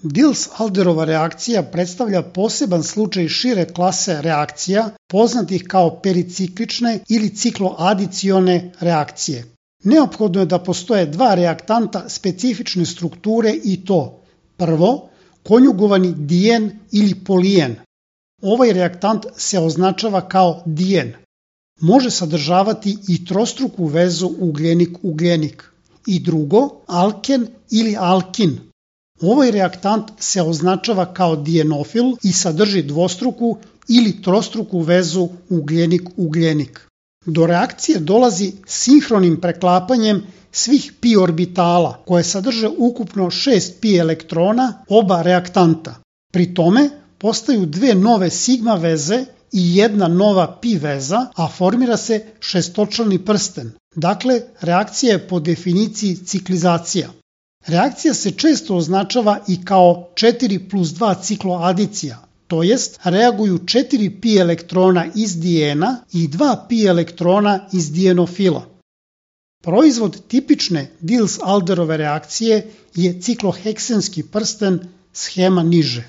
Diels-Alderova reakcija predstavlja poseban slučaj šire klase reakcija, poznatih kao periciklične ili cikloadicione reakcije. Neophodno je da postoje dva reaktanta specifične strukture i to: prvo, konjugovani dijen ili polijen. Ovaj reaktant se označava kao dijen. Može sadržavati i trostruku vezu ugljenik-ugljenik. I drugo, alken ili alkin. Ovaj reaktant se označava kao dijenofil i sadrži dvostruku ili trostruku vezu ugljenik-ugljenik. Do reakcije dolazi sinhronim preklapanjem svih pi orbitala koje sadrže ukupno 6 pi elektrona oba reaktanta. Pri tome postaju dve nove sigma veze i jedna nova pi veza, a formira se šestočlani prsten. Dakle, reakcija je po definiciji ciklizacija. Reakcija se često označava i kao 4+2 cikloadicija, to jest reaguju 4 pi elektrona iz dijena i 2 pi elektrona iz dijenofila. Proizvod tipične Diels-Alderove reakcije je cikloheksenski prsten, schema niže.